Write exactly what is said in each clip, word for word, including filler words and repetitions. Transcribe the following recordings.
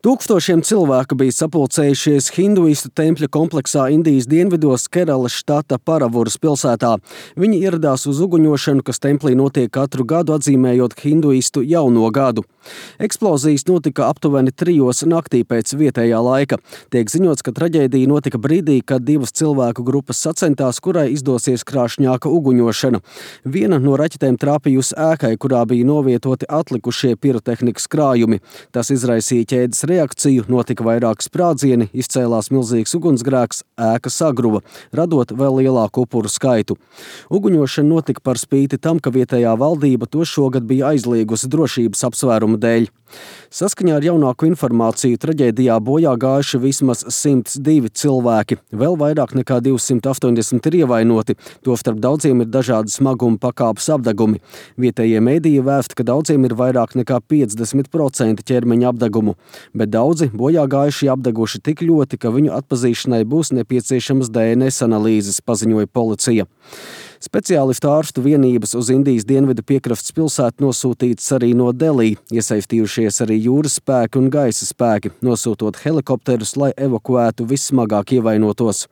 Tūkstošiem cilvēku bija sapulcējušies hinduistu tempļa kompleksā Indijas dienvidos Keralas štata Paravuras pilsētā. Viņi ieradās uz uguņošanu, kas templī notiek katru gadu, atzīmējot hinduistu jauno gadu. Eksplozijas notika aptuveni trijos naktī pēc vietējā laika. Tiek ziņots, ka traģēdija notika brīdī, kad divas cilvēku grupas sacentās, kurai izdosies krāšņāka uguņošana. Viena no raķetēm trāpījusi ēkai, kurā bija novietoti atlikušie pirotehnikas krājumi. Tas izraisīja ķēdes reakciju, notika vairāki sprādzieni, izcēlās milzīgs ugunsgrēks, ēka sagruva, radot vēl lielāku upuru skaitu. Uguņošana notika par spīti tam, ka vietējā valdība to šogad bija aizliegusi drošības apsvērumu dēļ. Saskaņā ar jaunāku informāciju traģēdijā bojā gājuši vismaz simts divi cilvēki, vēl vairāk nekā divsimt astoņdesmit ir ievainoti, tostarp daudziem ir dažādi smaguma pakāpes apdegumi. Vietējie mediji vēsta, ka daudziem ir vairāk nekā piecdesmit procenti ķermeņa apdegumu, bet daudzi bojā gājušie apdeguši tik ļoti, ka viņu atpazīšanai būs nepieciešamas D N S analīzes, paziņoja policija. Speciālistu ārstu vienības uz Indijas dienvidu piekrastes pilsētu nosūtītas arī no Delī, iesaistījušies arī jūras spēki un gaisa spēki, nosūtot helikopterus, lai evakuētu vissmagāk ievainotos.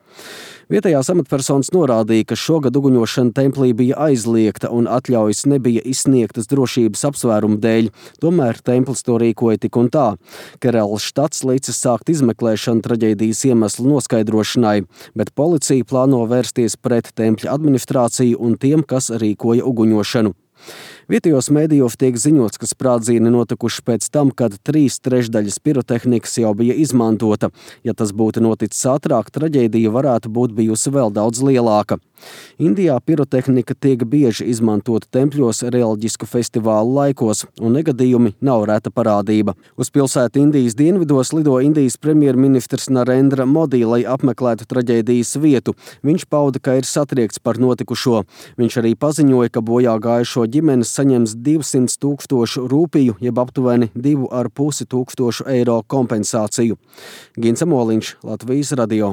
Vietējās amatpersonas norādīja, ka šogad uguņošana templī bija aizliegta un atļaujas nebija izsniegtas drošības apsvērumu dēļ, tomēr templis to rīkoja tik un tā. Keralas štats licis sākt izmeklēšanu traģēdijas iemeslu noskaidrošanai, bet policija plāno vērsties pret tempļa administrāciju un tiem, kas rīkoja uguņošanu. Vietējos mēdījos tiek ziņots, ka sprādzieni notikuši pēc tam, kad trīs trešdaļas pirotehnikas jau bija izmantota. Ja tas būtu noticis ātrāk, traģēdija varētu būt bijusi vēl daudz lielāka. Indijā pirotehnika tiek bieži izmantota tempļos reliģisku festivālu laikos, un negadījumi nav reta parādība. Uz pilsētu Indijas dienvidos lido Indijas premjerministrs Narendra Modi, lai apmeklētu traģēdijas vietu. Viņš pauda, ka ir satriekts par notikušo. Viņš arī paziņoja, ka bojā gājušo ģimenes saņems divsimt tūkstošu rūpiju, jeb aptuveni divu ar pusi tūkstošu eiro kompensāciju. Gins Amoliņš, Latvijas radio.